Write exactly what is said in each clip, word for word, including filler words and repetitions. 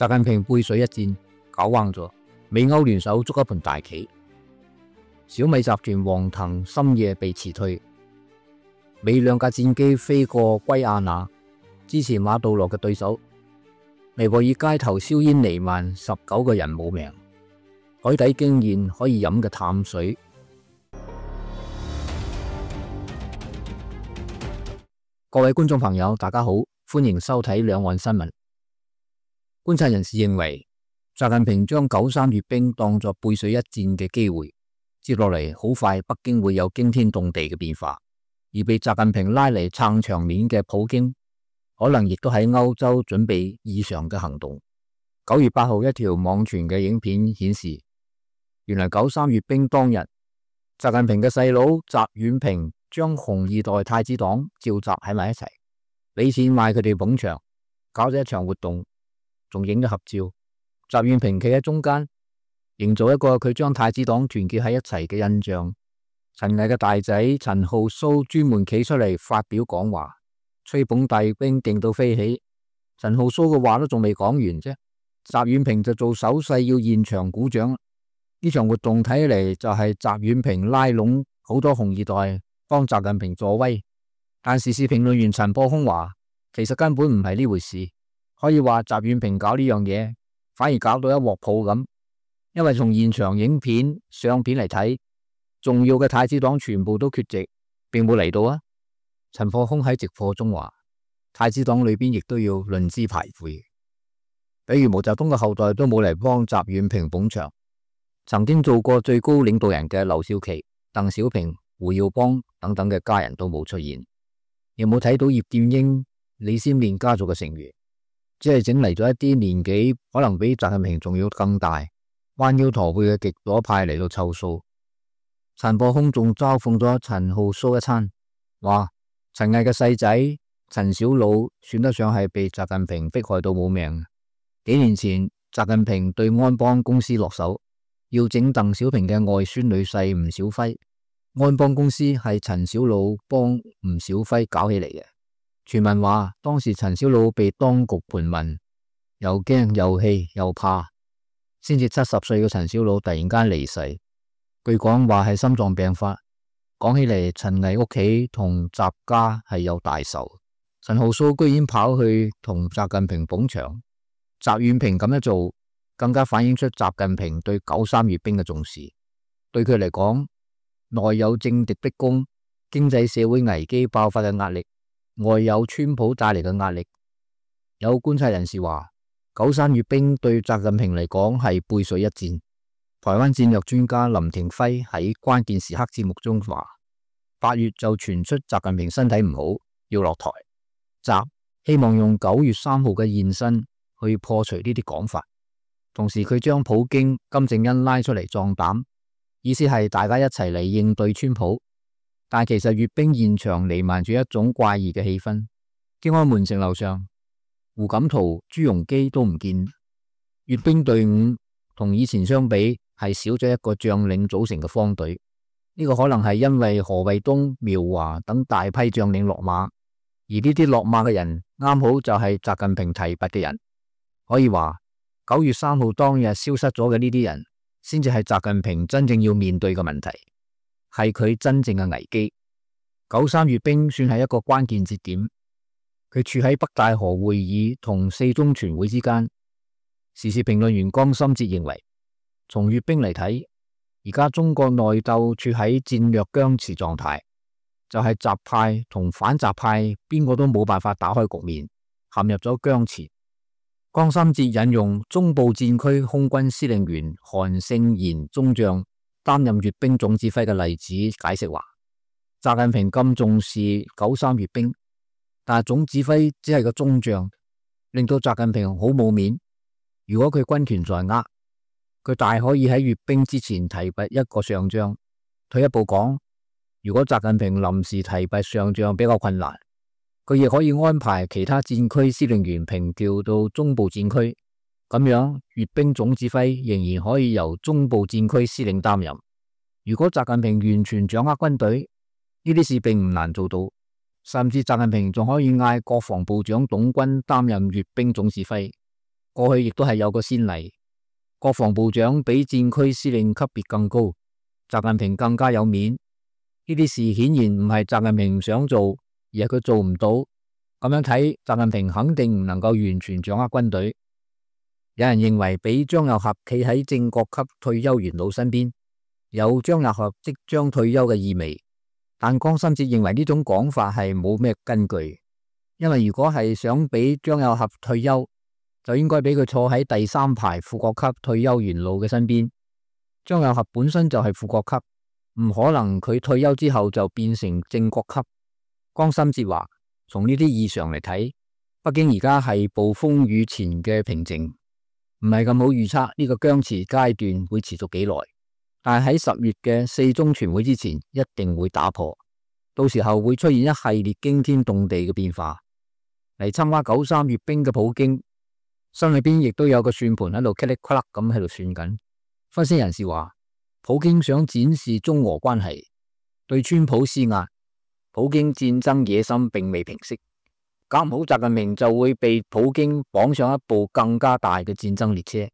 習近平背水一戰，搞彎咗，美歐聯手捉一盤大棋。小米集團黃騰深夜被辭退，美兩架戰機飛過圭亞那，支持馬杜羅嘅對手。尼泊爾街頭硝煙彌漫，十九個人冇命。海底驚現可以飲嘅淡水。各位觀眾朋友，大家好，歡迎收睇兩岸新聞。觀察人士認為，習近平將九三閱兵當作背水一戰嘅機會，接落嚟好快北京會有驚天動地嘅變化，而被習近平拉嚟撐場面嘅普京，可能亦都喺歐洲準備異常嘅行動。九月八號一條網傳嘅影片顯示，原來九三閱兵當日，習近平嘅細佬習遠平將紅二代太子黨召集喺埋一齊，俾錢買佢哋捧場，搞咗一場活動，仲影咗合照。習遠平企喺中間，營造一個佢將太子黨團結喺一齊嘅印象。陳毅嘅大仔陳浩蘇專門企出嚟發表講話，吹捧大閱兵勁到飛起。陳浩蘇嘅話都仲未講完啫，習遠平就做手勢要現場鼓掌。呢場活動睇起嚟就係習遠平拉攏好多紅二代幫習近平助威，但時事評論員陳破空話，其實根本唔係呢回事。可以話習遠平搞呢樣嘢，反而搞到一鑊泡咁，因為從現場影片相片嚟睇，重要嘅太子黨全部都缺席，並冇嚟到啊。陳破空喺直播中話，太子黨裏邊亦都要論資排輩，比如毛澤東嘅後代都冇嚟幫習遠平捧場，曾經做過最高領導人嘅劉少奇、鄧小平、胡耀邦等等嘅家人都冇出現，有冇睇到葉劍英、李先念家族嘅成員？只係整嚟咗一啲年紀可能比習近平仲要更大、彎腰駝背嘅極左派嚟到湊數。陳破空仲嘲諷咗陳浩蘇一餐，話陳毅嘅細仔陳小魯算得上係被習近平迫害到冇命。幾年前習近平對安邦公司落手，要整鄧小平嘅外孫女婿吳小輝，安邦公司係陳小魯幫吳小輝搞起嚟嘅。傳聞話當時陳小魯被當局盤問，又驚又氣又怕，先至七十歲嘅陳小魯突然間離世。據講話係心臟病發。講起嚟，陳毅屋企同習家係有大仇。陳浩蘇居然跑去同習近平捧場，習遠平咁樣做，更加反映出習近平對九三閱兵嘅重視。對佢嚟講，內有政敵逼宮、經濟社會危機爆發嘅壓力，外有川普帶嚟嘅壓力。有觀察人士話，九三閱兵對習近平嚟講係背水一戰。台灣戰略專家林廷輝喺關鍵時刻節目中話，八月就傳出習近平身體唔好要落台，習希望用九月三號嘅現身去破除呢啲講法。同時佢將普京、金正恩拉出嚟壯膽，意思係大家一齊嚟應對川普。但其實閱兵現場彌漫住一種怪異嘅氣氛。天安門城樓上，胡錦濤、朱鎔基都唔見。閱兵隊伍同以前相比係少咗一個將領組成嘅方隊。呢、這個可能係因為何衛東、苗華等大批將領落馬，而呢啲落馬嘅人啱好就係習近平提拔嘅人。可以話九月三號當日消失咗嘅呢啲人，先至係習近平真正要面對嘅問題，係佢真正嘅危機。九三閱兵算係一個關鍵節點，佢處喺北大河會議同四中全會之間。時事評論員江心哲認為，從閱兵嚟睇，而家中國內鬥處喺戰略僵持狀態，就係習派同反習派邊個都冇辦法打開局面，陷入咗僵持。江心哲引用中部戰區空軍司令員韓勝賢中將擔任閱兵總指揮嘅例子解釋話，習近平咁重視九三閱兵，但係總指揮只係個中將，令到習近平好冇面。如果佢軍權在握，佢大可以喺閱兵之前提拔一個上將。退一步講，如果習近平臨時提拔上將比較困難，佢亦可以安排其他戰區司令員平調到中部戰區，咁樣閱兵總指揮仍然可以由中部戰區司令擔任。如果習近平完全掌握軍隊，呢啲事並唔難做到，甚至習近平仲可以嗌國防部長董軍擔任閱兵總指揮。過去亦都係有個先例，國防部長比戰區司令級別更高，習近平更加有面。呢啲事顯然唔係習近平唔想做，而係佢做唔到。咁樣睇，習近平肯定唔能夠完全掌握軍隊。有人認為俾張又俠企喺正國級退休元老身邊，有張又俠即將退休嘅意味。但江心哲認為呢種講法係冇咩根據，因為如果係想俾張又俠退休，就應該俾佢坐喺第三排副國級退休元老嘅身邊。張又俠本身就係副國級，唔可能佢退休之後就變成正國級。江心哲話，從呢啲異常嚟睇，北京而家係暴風雨前嘅平靜，唔係咁好預測呢個僵持階段會持續幾耐。但係喺十月嘅四中全會之前，一定會打破，到時候會出現一系列驚天動地嘅變化。嚟參加九三閱兵嘅普京，心裏邊亦都有個算盤喺度噼里啪啦咁喺度算緊。分析人士話，普京想展示中俄關係，對川普施壓。普京戰爭野心並未平息，搞唔好習近平就會被普京綁上一部更加大嘅戰爭列車。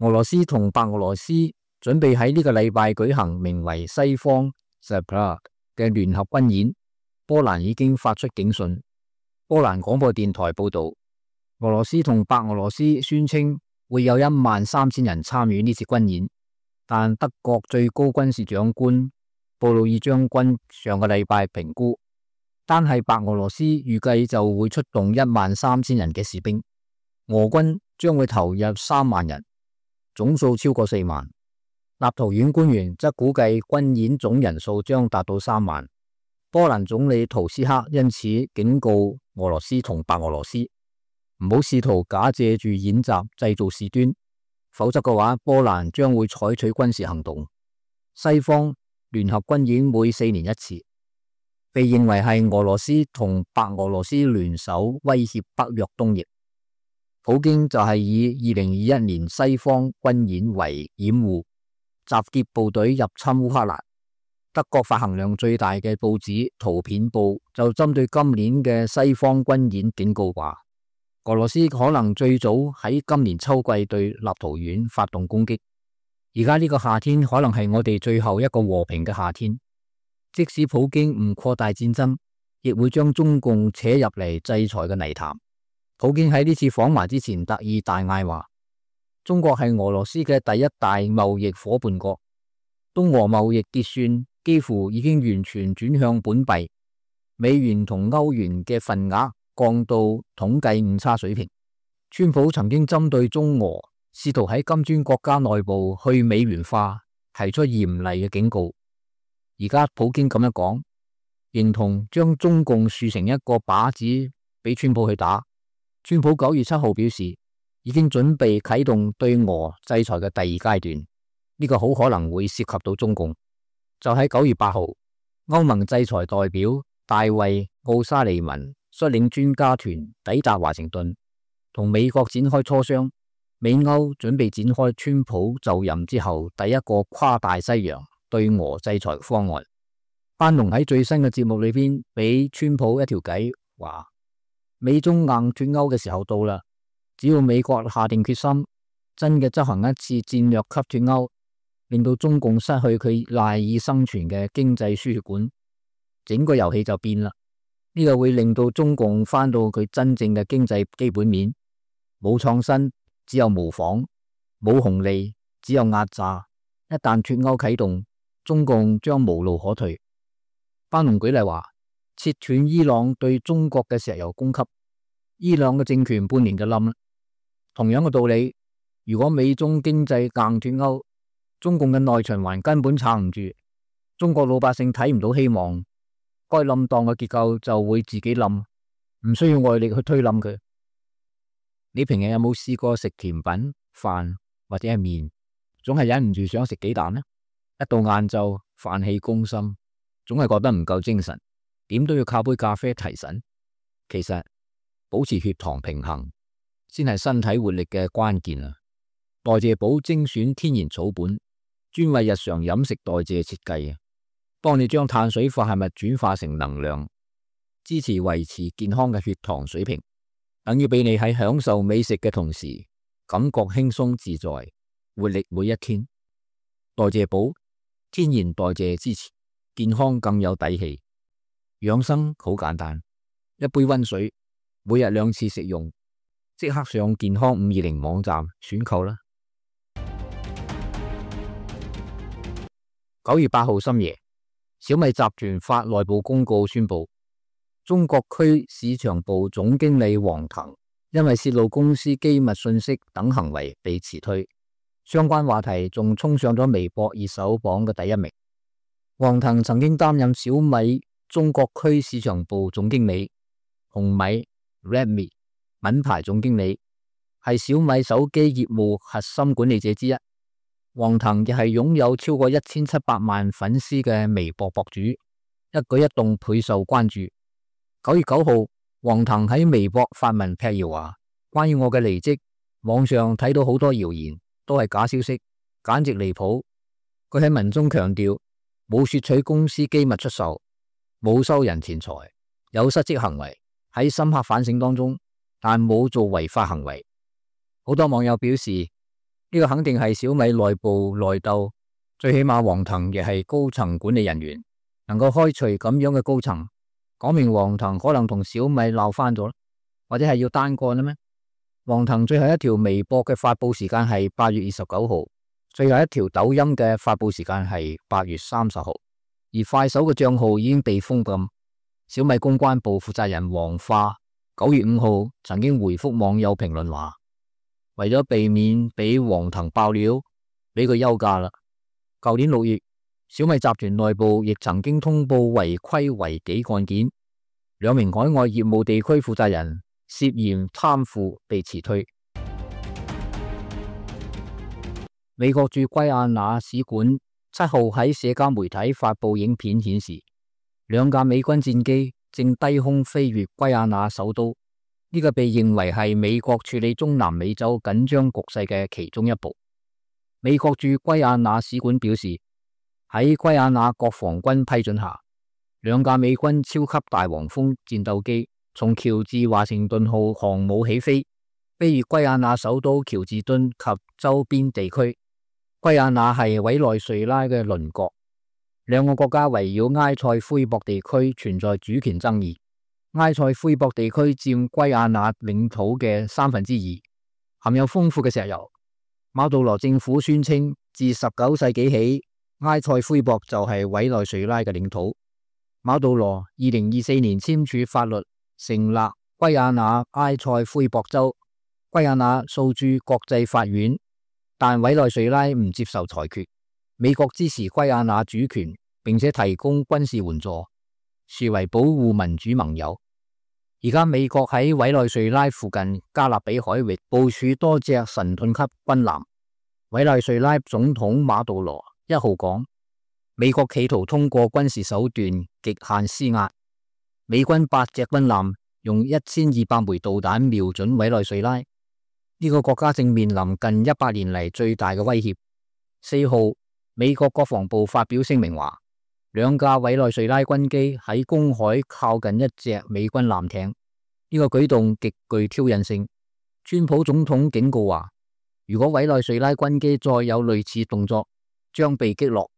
俄羅斯同白俄羅斯準備喺呢個禮拜舉行名為西方 Support 嘅聯合軍演，波蘭已經發出警訊。波蘭廣播電台報道，俄羅斯同白俄羅斯宣稱會有一萬三千人參與呢次軍演，但德國最高軍事長官布魯爾將軍上個禮拜評估，單係白俄羅斯預計就會出動一萬三千人嘅士兵，俄軍將會投入三萬人，總數超過四萬。立陶宛官員則估計軍演總人數將達到三萬。波蘭總理圖斯克因此警告俄羅斯同白俄羅斯唔好試圖假借住演習製造事端，否則嘅話，波蘭將會採取軍事行動。西方聯合軍演每四年一次，被認為係俄羅斯同白俄羅斯聯手威脅北約東翼。普京就係以二零二一年西方軍演為掩護，集結部隊入侵烏克蘭。德國發行量最大嘅報紙《圖片報》就針對今年嘅西方軍演警告話，俄羅斯可能最早喺今年秋季對立陶宛發動攻擊。而家呢個夏天可能係我哋最後一個和平嘅夏天。即使普京唔擴大戰爭，亦會將中共扯入嚟制裁嘅泥潭。普京喺呢次訪華之前特意大嗌話，中國係俄羅斯嘅第一大貿易夥伴國，東俄貿易結算幾乎已經完全轉向本幣，美元同歐元嘅份額降到統計誤差水平。川普曾經針對中俄試圖喺金磚國家內部去美元化提出嚴厲嘅警告。而家普京咁樣講，認同將中共豎成一個靶子俾川普去打。川普九月七號表示，已經準備啟動對俄制裁嘅第二階段，呢個好可能會涉及到中共。就喺九月八號，歐盟制裁代表大衛奧沙利文率領專家團抵達華盛頓，同美國展開磋商。美歐準備展開川普就任之後第一個跨大西洋對俄制裁方案。班農喺最新嘅節目裏邊俾川普一條計，話美中硬脫歐嘅時候到啦，只要美國下定決心，真嘅執行一次戰略級脫歐，令到中共失去佢賴以生存嘅經濟輸血管，整個遊戲就變啦。呢個會令到中共翻到佢真正嘅經濟基本面，冇創新，只有模仿；冇紅利，只有壓榨。一旦脫歐啟動，中共將無路可退。班農舉例話，切斷伊朗對中國嘅石油供給，伊朗嘅政權半年就冧啦。同樣嘅道理，如果美中經濟硬脫歐，中共嘅內循環根本撐唔住，中國老百姓睇唔到希望，該冧檔嘅結構就會自己冧，唔需要外力去推冧佢。你平日有冇試過食甜品、飯或者係麵，總係忍唔住想食雞蛋呢？一到晏晝飯氣攻心，總係覺得唔夠精神，點都要靠杯咖啡提神。其實保持血糖平衡先係身體活力嘅關鍵啊！代謝寶精選天然草本，專為日常飲食代謝設計啊，幫你將碳水化合物轉化成能量，支持維持健康嘅血糖水平，等於俾你喺享受美食嘅同時感覺輕鬆自在，活力每一天。代謝寶，天然代謝支持，健康更有底氣。養生好簡單，一杯溫水，每日兩次食用，即刻上健康五二零網站選購啦。九月八號深夜，小米集團發內部公告宣布，中國區市場部總經理黃騰因為洩露公司機密信息等行為被辭退，相關話題仲衝上咗微博熱搜榜嘅第一名。黃騰曾經擔任小米中國區市場部總經理、紅米 Redmi 品牌總經理，係小米手機業務核心管理者之一。黃騰亦係擁有超過一千七百萬粉絲嘅微博博主，一舉一動倍受關注。九月九號，黃騰喺微博發文闢謠話，關於我嘅離職，網上睇到好多謠言，都係假消息，簡直離譜。佢喺文中強調，冇竊取公司機密出售，冇收人錢財，有失職行為，喺深刻反省當中，但冇做違法行為。好多網友表示，呢個肯定係小米內部內鬥，最起碼黃騰亦係高層管理人員，能夠開除咁樣嘅高層，講明黃騰可能同小米鬧翻咗，或者係要單幹啦咩？黃騰最後一條微博嘅發佈時間係八月二十九號，最後一條抖音嘅發佈時間係八月三十號，而快手嘅賬號已經被封禁。小米公關部負責人黃化九月五號曾經回覆網友評論話，為咗避免俾黃騰爆料，俾佢休假啦。舊年六月，小米集團內部亦曾經通報違規違紀案件，兩名海外業務地區負責人涉嫌貪腐被辭退。美國駐圭亞那使館七號喺社交媒體發布影片顯示，兩架美軍戰機正低空飛越圭亞那首都。呢個被認為係美國處理中南美洲緊張局勢嘅其中一步。美國駐圭亞那使館表示，喺圭亞那國防軍批准下，兩架美軍超級大黃蜂戰鬥機從喬治華盛頓號航母起飛，飛越圭亞那首都喬治敦及周邊地區。圭亞那係委內瑞拉嘅鄰國，兩個國家圍繞埃塞奎博地區存在主權爭議。埃塞奎博地區佔圭亞那領土嘅三分之二，含有豐富嘅石油。馬杜羅政府宣稱，自十九世紀起，埃塞奎博就係委內瑞拉嘅領土。馬杜羅二零二四年簽署法律，成立圭亞那埃塞奎博州，圭亞那訴諸國際法院，但委內瑞拉唔接受裁決。美國支持圭亞那主權，並且提供軍事援助，視為保護民主盟友。而家美國喺委內瑞拉附近加勒比海域部署多隻神盾級軍艦。委內瑞拉總統馬杜羅一號講，美國企圖通過軍事手段極限施壓。美軍八隻軍艦用一千二百枚導彈瞄準委內瑞拉，呢、這個國家正面臨近一百年嚟最大嘅威脅。四號，美國國防部發表聲明話，兩架委內瑞拉軍機喺公海靠近一隻美軍艦艇，呢、這個舉動極具挑釁性。川普總統警告話，如果委內瑞拉軍機再有類似動作，將被擊落。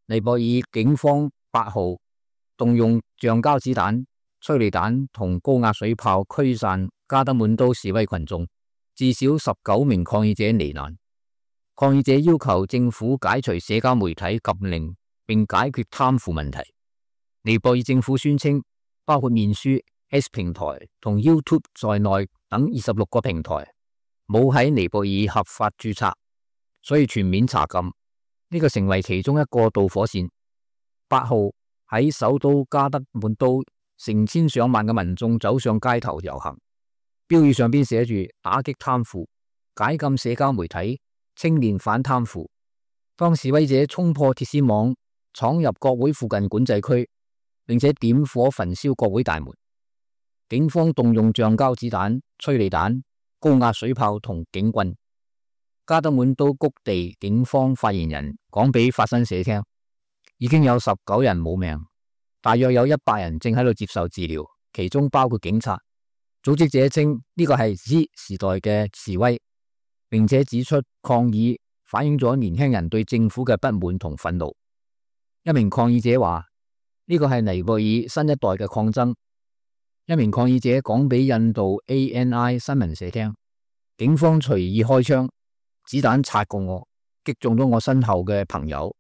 尼泊爾警方八號動用橡膠子彈、催淚彈同高壓水炮驅散加德滿都示威群眾，至少十九名抗議者罹難。抗議者要求政府解除社交媒體禁令，並解決貪腐問題。尼泊爾政府宣稱，包括面書、X 平台同 YouTube 在內等二十六個平台冇喺尼泊爾合法註冊，所以全面查禁。呢、這個成為其中一個導火線。八號喺首都加德滿都，成千上萬嘅民眾走上街頭遊行，標語上邊寫住打擊貪腐、解禁社交媒體、青年反貪腐。當示威者衝破鐵絲網，闖入國會附近管制區，並且點火焚燒國會大門，警方動用橡膠子彈、催淚彈、高壓水炮同警棍。加德滿都谷地警方發言人講俾法新社聽，已經有十九人冇命，大約有一百人正喺度接受治療，其中包括警察。組織者稱呢個係 Z 時代嘅示威，並且指出抗議反映咗年輕人對政府嘅不滿同憤怒。一名抗議者話：呢個係尼泊爾新一代嘅抗爭。一名抗議者講俾印度 A N I 新聞社聽，警方隨意開槍，子彈擦過我，擊中咗我身後嘅朋友，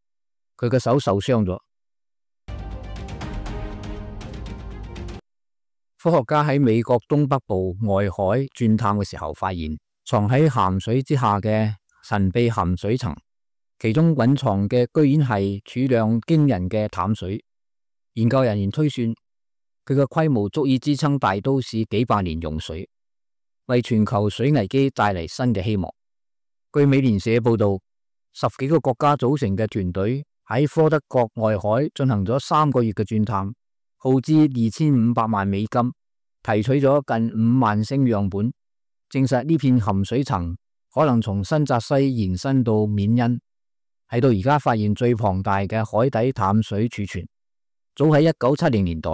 佢嘅手受傷咗。科學家喺美國東北部外海鑽探嘅時候，發現藏喺鹹水之下嘅神秘鹹水層，其中蘊藏嘅居然係儲量驚人嘅淡水。研究人員推算，佢嘅規模足以支撐大都市幾百年用水，為全球水危機帶嚟新嘅希望。據美聯社報道，十幾個國家組成嘅團隊喺科德角外海進行咗三個月嘅鑽探，耗資二千五百萬美金，提取咗近五萬升樣本，證實呢片鹹水層可能從新澤西延伸到緬因，係到而家發現最龐大嘅海底淡水儲存。早喺一九七零年代，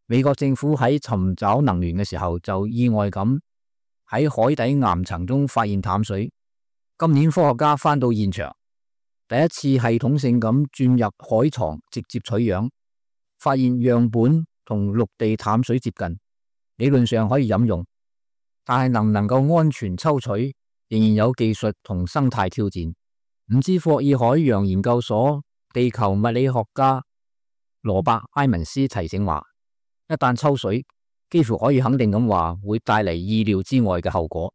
美國政府喺尋找能源嘅時候就意外咁喺海底岩層中發現淡水。今年科學家返到現場，第一次系統性咁鑽入海床直接取樣，發現樣本同陸地淡水接近，理論上可以飲用，但係能唔能夠安全抽取，仍然有技術同生態挑戰。唔知霍爾海洋研究所地球物理學家羅伯埃文斯提醒話，一旦抽水，幾乎可以肯定咁話會帶嚟意料之外嘅後果。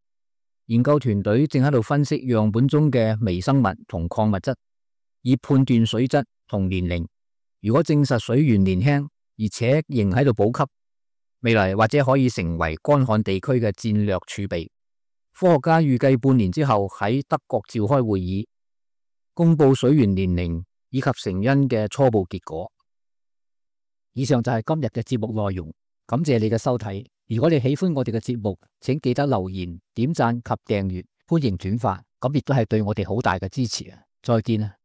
研究團隊正喺度分析樣本中嘅微生物同礦物質，以判斷水質同年齡。如果證實水源年輕，而且仍喺度補給，未來或者可以成為乾旱地區嘅戰略儲備。科學家預計半年之後喺德國召開會議，公布水源年齡以及成因嘅初步結果。以上就係今日嘅節目內容，感謝你嘅收睇。如果你喜歡我哋嘅節目，請記得留言、點讚及訂閱，歡迎轉發，咁亦都係對我哋好大嘅支持啊！再見啊！